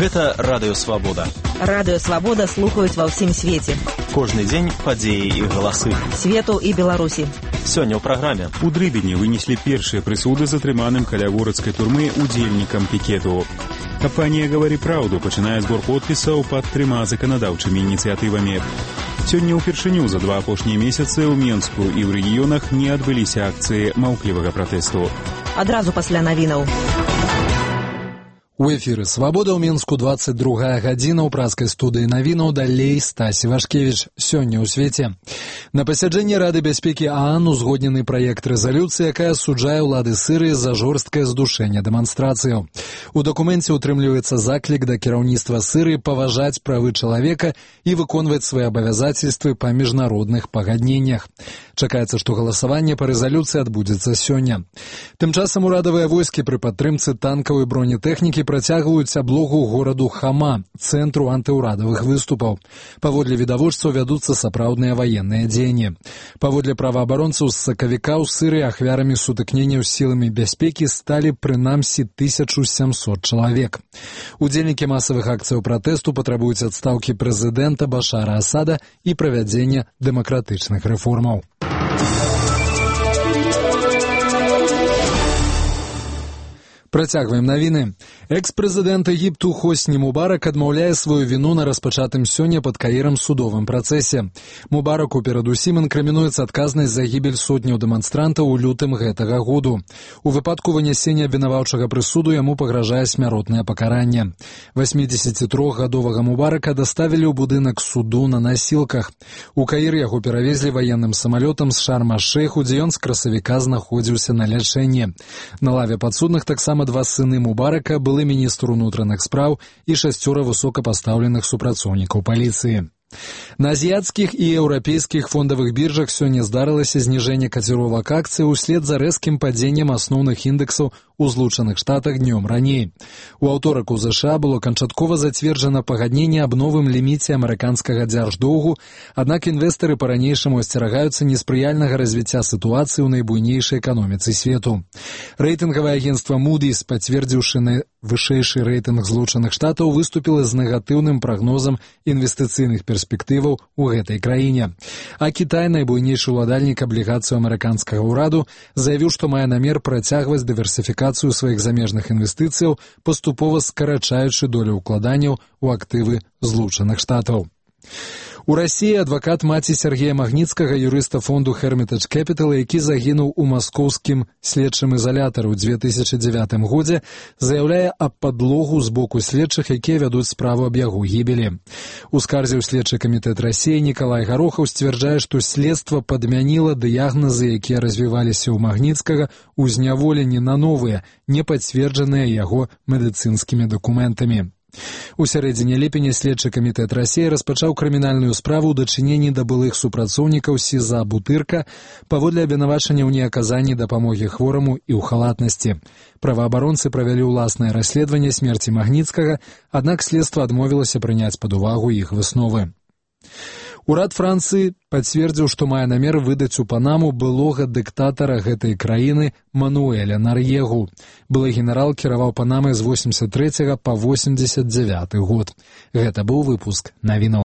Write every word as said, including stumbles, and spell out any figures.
Гэта Радыё Свабода. Радыё Свабода слухаюць ва ўсім свеце. Кожны дзень падзеі і галасы. Свету і Беларусі. Сёння ў праграме. У Дрыбені вынеслі першыя прысуды затрыманым каля горацкай турмы удзельнікам пікету. Кампанія «Гавары праўду» пачынае збор подпісаў пад трыма заканадаўчымі ініцыятывамі. Сёння ўпершыню за два апошнія месяцы ў Менску і ў рэгіёнах не адбыліся акцыі маўклівага пратэсту. Адразу пасля навінаў. У эфіры «Свабода» ў Менску двадцать другая гадзіна ў праскай студыі навінаў, далей Стасі Вашкевіч. Сёння ў свеце. На пасяджэнні Рады бяспекі ААН узгоднены праект рэзалюцыі, якая асуджае ўлады Сырыі за жорсткае здушэнне дэманстрацыяў. У дакуменце ўтрымліваецца заклік да кіраўніцтва Сырыі паважаць правы чалавека і выконваць свае абавязацельствы па міжнародных пагадненнях. Чакаецца, што галасаванне па рэзалюцыі адбудзецца сёння. Тым часам урадавыя войскі пры падтрымцы танкаў і бронетэхнікі працягваюць аблогу гораду Хама, цэнтру антыўрадавых выступаў. Паводле відавочцаў вядуцца сапраўдныя ваенныя дзеянні. Паводле праваабаронцаў з сакавіка ў Сырыі ахвярамі сутыкненняў з сіламі бяспекі сталі прынамсі тысяча сямсот чалавек. Удзельнікі масавых акцыяў пратэсту патрабуюць адстаўкі прэзідэнта Башара Асада і правядзення дэмакратычных рэформаў. Працягваем навіны. Экс-прэзідэнт Егіпту Хосні Мубарак адмаўляе сваю віну на распачатым сёння пад Каірам судовым працэсе. Мубараку перадусім інкрымінуецца адказнасць за гібель сотняў дэманстрантаў у лютым гэтага году. У выпадку вынясення абвінаваўчага прысуду яму пагражае смяротнае пакаранне. васьмідзесяцітрохгадовага Мубарака даставілі ў будынак суду на насілках. У Каір яго перавезлі ваенным самалётам з Шарм-аш-Шэйху, дзе ён з красавіка знаходзіўся на лячэнні. На лаве падсудных таксама два сыны Мубарака, былы міністр унутраных спраў і шасцёра высокапастаўленых супрацоўнікаў паліцыі. На азіяцкіх і еўрапейскіх фондавых біржах сёння здарылася зніжэнне каціровак акцый услед за рэзкім падзеннем асноўных індэксаў у Злучаных Штатах днём раней. У аўторак у ЗША было канчаткова зацверджана пагадненне аб новым ліміце амерыканскага дзярждоўгу, аднак інвестары па-ранейшаму асцерагаюцца неспрыяльнага развіцця сітуацыі ў найбуйнейшай эканоміцы свету. Рэйтынгавае агенцтва Moody's, пацвердзіўшы на вышэйшы рэйтынг Злучаных Штатаў, выступіла з негатыўным прагнозам інвестыцыйных перспектываў у гэтай краіне. А Кітай, найбуйнейшы ўладальнік аблігацыяў амерыканскага ўраду, заявіў, што мае намер працягваць дыверсіфікацыю сваіх замежных інвестыцыяў, паступова скарачаючы долю ўкладанняў у актывы Злучаных Штатаў. У Расіі адвакат маці Сергея Магніцкага, юрыста фонду Hermitage Capital, які загінуў у маскоўскім следчым ізалятары ў дзве тысячы дзевятым годзе, заяўляе аб падлогу з боку следчых, якія вядуць справу аб яго гібелі. У скарзе ў следчы камітэт Расіі Нікалай Гарохаў сцвярджае, што следства падмяніла дыягназы, якія развіваліся ў Магніцкага, у зняволенні на новыя, не пацверджаныя яго медыцынскімі дакументамі. У сярэдзіне ліпеня следчы камітэт Расіі распачаў крымінальную справу ў дачыненні да былых супрацоўнікаў СІЗА «Бутырка» паводле абвінавачання ў неаказанні дапамогі хвораму і ў халатнасці. Праваабаронцы правялі ўласнае расследаванне смерці Магніцкага, аднак следства адмовілася прыняць пад увагу іх высновы. Урад Францыі пацвердзіў, што мае намер выдаць у Панаму былога дыктатара гэтай краіны Мануэля Нар'егу. Былы генерал кіраваў Панамай з восемьдесят трэцяга па восемьдесят дзявяты год. Гэта быў выпуск навінаў.